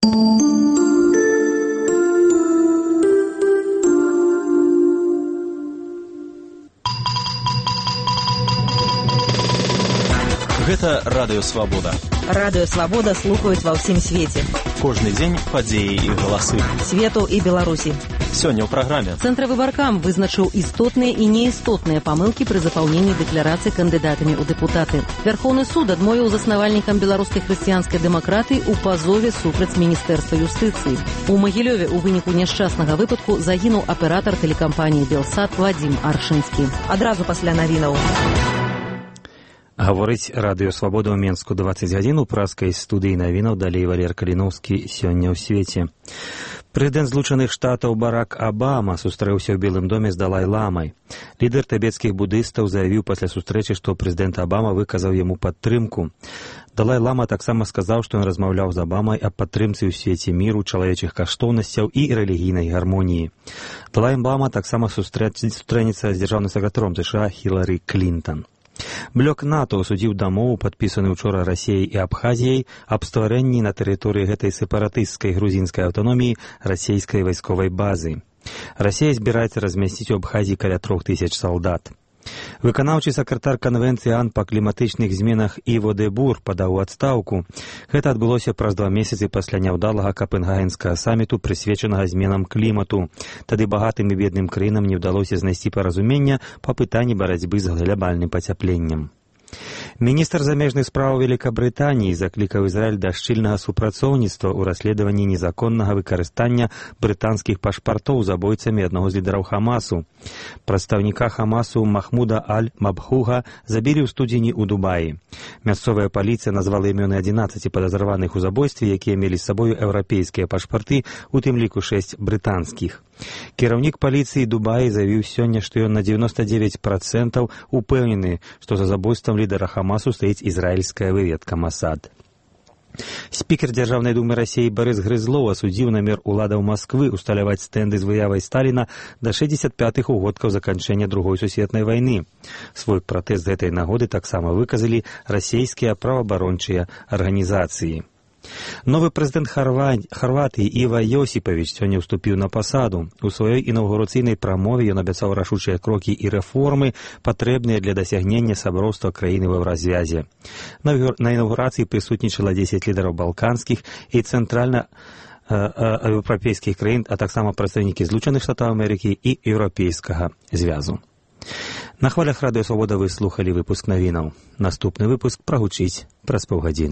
Гэта Радыё Свабода. Радыё Свабода слухаюць ва ўсім свеце. Кожны дзень падзеі і галасы. Свету і Беларусі. Сёння ў праграме. Цэнтравыбаркам вызначыў істотныя і неістотныя памылкі пры запаўненні дэкларацыі кандыдатамі ў дэпутаты. Вярхоўны суд адмовіў заснавальнікам беларускай хрысціянскай дэмакратыі ў пазове супраць міністэрства юстыцыі. У Магілёве ў выніку няшчаснага выпадку загінуў аператар тэлекампаніі «Белсат» Вадзім Аршынскі. Адразу пасля навінаў. Гаворыць Радыё Свабода ў Менску 20 гадзін у праскай студыі навінаў, далей Валер Каліноўскі сёння ў свеце. Прэзідэнт Злучаных Штатаў Барак Абама сустрэўся ў Белым доме з Далай-ламай. Лідар тыбецкіх будыстаў заявіў пасля сустрэчы, што прэзідэнт Абама выказаў яму падтрымку. Далай-лама таксама сказаў, што ён размаўляў з Абамай аб падтрымцы ў свеце міру, чалавечых каштоўнасцяў і рэлігійнай гармоніі. Далай-лама таксама сустрэнецца з дзяржаўным сакратаром США Хілары Клінтан. Блок НАТО асудзіў дамову, падпісаны учора Расіяй і Абхазіяй, аб стварэнні на тэрыторыі гэтай сепаратысцкай грузінскай аўтаноміі расійскай вайсковай базы. Расія збіраецца размясціць у Абхазіі каля 3000 салдат. Выканаўчы сакратар канвенцыі АН па кліматычных зменах Іво де Бур падаў у адстаўку. Гэта адбылося праз 2 месяцы пасля няўдалага капенгагенскага саміту, прысвечанага зменам клімату. Тады багатым і бедным краінам не ўдалося знайсці паразумення па пытанні барацьбы з глобальным пацяпленнем. Міністр замежных справаў Великабрытаніі заклікаў Ізраіль да шчыльнага супрацоўніцтва ў расследаванні незаконнага выкарыстання брытанскіх пашпартоў забойцамі аднаго з лідараў Хамасу. Прадстаўніка Хамасу Махмуда Аль-Мабхуга забілі ў студзені ў Дубаі. Мясцовая паліцыя назвала імёны 11 падазраваных у забойстве, якія мелі з сабою еўрапейскія пашпарты, у тым ліку 6 брытанскіх. Кіраўнік паліцыі Дубаі заявіў сёння, што ён на 99% упэўнены, што за забойствам лідара Хамасу стаіць ізраільская выведка Масад. Спікер Дзяржаўнай думы Расіі Барыс Грызлоў асудзіў намер уладаў Масквы усталяваць стэнды з выявай Сталіна да 65-х угодкаў заканчэння Другой сусветнай вайны. Свой пратэст з гэтай нагоды таксама выказалі расійскія праваабарончыя арганізацыі. Новы прэзідэнт Харватыі Іва Йосіпавіч сёння ўступіў на пасаду. У сваёй інаўгурацыйнай прамове ён абяцаў рашучыя крокі і рэформы, патрэбныя для дасягнення саброўства краіны ва развязе. На інаўгурацыі прысутнічала 10 лідараў балканскіх і цэнтральна-еўрапейскіх краін, а таксама прадстаўнікі Злучаных Штатаў Амерыкі і Еўрапейскага звязу. На хвалях Радыё Свабода вы слухалі выпуск навінаў. Наступны выпуск прагучыць праз паўгадзіны.